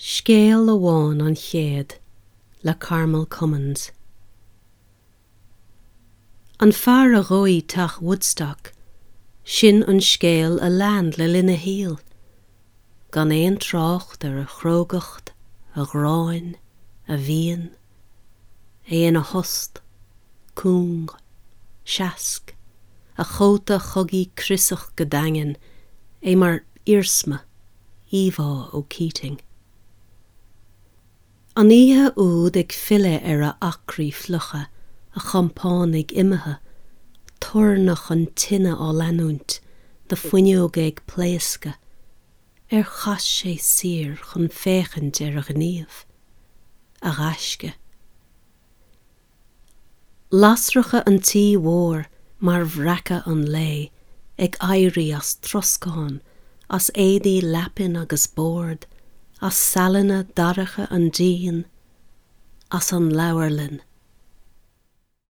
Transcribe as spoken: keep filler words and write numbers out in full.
Scéal amháin an chéad le Carmel Cummins. An fear a dhóigh teach Woodstock, sin an scéal a lean le linn a shaoil, gan aon trácht ar a chrógacht, a ghráin, a mhian, é ina thost, cúng, seasc, a chóta chogaidh criosach go daingean, é mar iarsma, íomhá ó Keating. An oíche úd ag filleadh ar a acraí fliucha, a chompánaigh imithe, toirneach an tine á leanúint, na fuinneoga ag pléascadh, ar chas sé siar chun féachaint ar a ghníomh, a ghaisce. Lasracha an tí mhóir mar bhreacadh an lae ag éirí as troscán, as éadaí leapan agus bord, as saileanna dorcha an dín, as an leabharlann.